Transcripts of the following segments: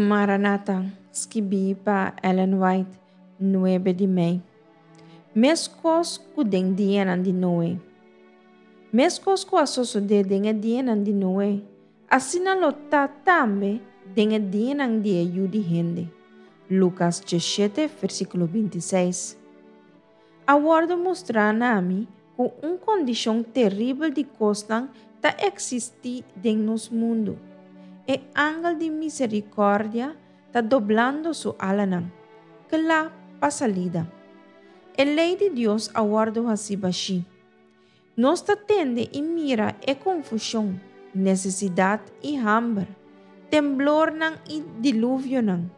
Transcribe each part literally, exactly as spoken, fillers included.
Maranata, skibí pa Ellen White, nuebe di mei. Meskos ku den dianan di Noe. Meskos ku a sosodé den e dianan di Noe, asina lo ta tambe den e dianan di e Yu di Hende. Lukas diesshete, versíkulo binti seis. A wòrdu mustrá na mi ku un kondishon teribel di kosnan ta eksistí den nos mundu. E angel di miserikòrdia ta doblando su alanan, kla pa salida. E lei di Dios a wòrdu hasí bashí. Nos ta tende i mira e konfushon, nesesidat i hamber, temblornan i diluvionan,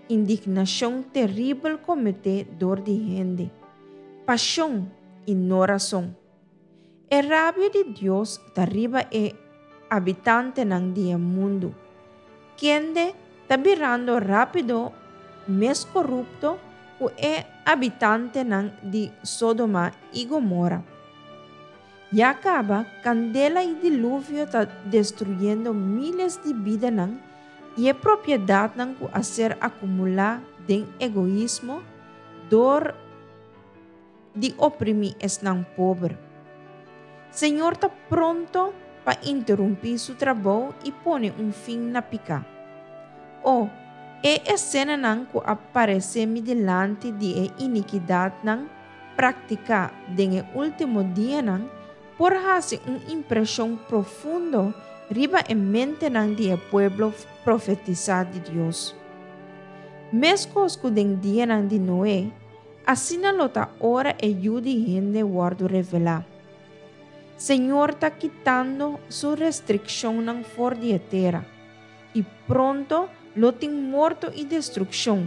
indignashon teribel kometé dor di hende, pashon i no rason. E rabia di Dios ta riba e habitantenan di e mundu, kende ta birando rápido mes korupto ku e habitantenan di Sodoma i Gomora. Ya kaba kandela i diluvio ta destruyendo míles di bidanan i e propiedatnan ku a ser akumulá den egoismo dor di oprimí esnan pober. Señor ta pronto pa interumpí su trabou i pone un fin na piká. O, e esenanan ku a paresé mi dilanti di e inikidatnan praktiká den e último dianan por hasi un impreshon profundo riba e mentenan di e pueblo profetisá di Dios. Meskos ku den dianan di Noe, asina lo ta ora e Yu di Hende wòrdu revelá. Señor ta kitando su restrikshonnan for di e tera, i pronto lo tin morto i destrukshon,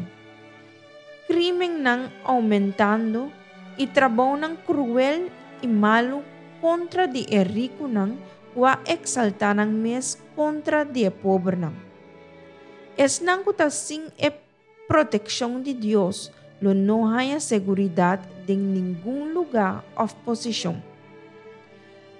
krímennan oumentando i trabounan kruel i malu kontra di e rikunan ku a eksaltá nan mes kontra di e pobernan. Esnan ku ta sin e protekshon di Dios lo no haña seguridat den ningun lugá òf posishon.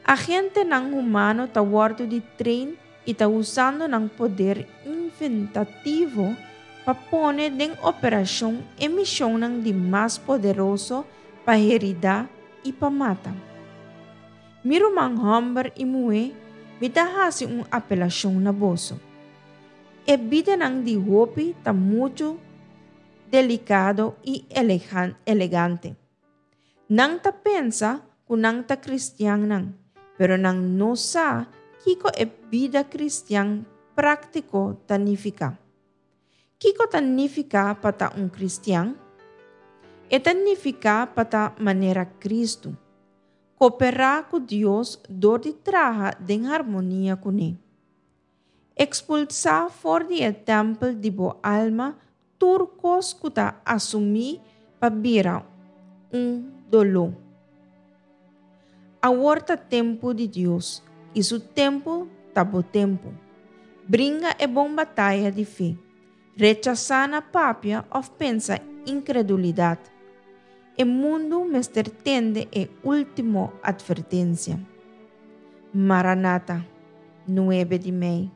Agentenan humano ta wòrdu di train i ta usando nan poder inventativo pa pone den operashon e mishonnan di mas poderoso pa heridá i pa mata. Mi ruman hòmber i muhé, mi ta hasi un apelashon na boso. E bidanan di hopi ta muchu delikado i elegante. Nan ta pensa ku nan ta kristiannan, pero nan no sa kiko e bida kristian práktiko ta nifiká. Kiko ta nifiká pa ta un kristian? E ta nifiká pa ta manera Kristu. Kooperá ku Dios dor di traha den harmonia kuné. Ekspulsá for di e tèmpel di bo alma tur kos ku ta asumí pa bira un doló. Awor ta tempu di Dios, i su tempu ta bo tempu. Bringa e bon bataya di fe. Rechasá na papia òf pensa inkredulidat. E mundu mester tende e último atvertensia. Maranata, nuebe di mei.